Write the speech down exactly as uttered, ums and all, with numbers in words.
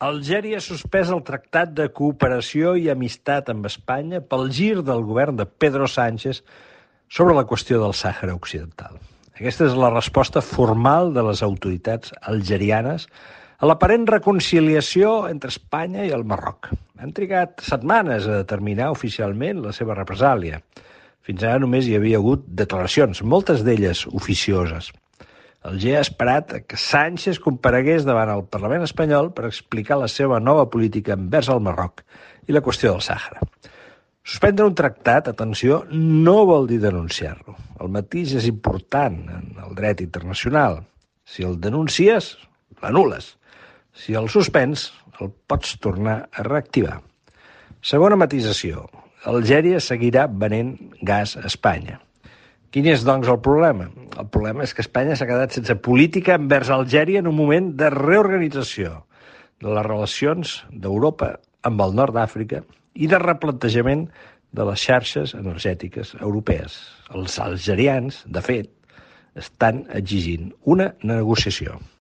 Algèria ha suspès el Tractat de Cooperació i Amistat amb Espanya pel gir del govern de Pedro Sánchez sobre la qüestió del Sàhara Occidental. Aquesta és la resposta formal de les autoritats algerianes a l'aparent reconciliació entre Espanya i el Marroc. Han trigat setmanes a determinar oficialment la seva represàlia. Fins ara només hi havia hagut declaracions, moltes d'elles oficioses. Alger ha esperat que Sánchez comparegués davant el Parlament espanyol per explicar la seva nova política envers el Marroc i la qüestió del Sàhara. Suspendre un tractat, atenció, no vol dir denunciar-lo. El matís és important en el dret internacional. Si el denuncies, l'anul·les. Si el suspens, el pots tornar a reactivar. Segona matisació. Algèria seguirà venent gas a Espanya. Quin és, doncs, el problema? El problema és que Espanya s'ha quedat sense política envers Algèria en un moment de reorganització de les relacions d'Europa amb el nord d'Àfrica i de replantejament de les xarxes energètiques europees. Els algerians, de fet, estan exigint una negociació.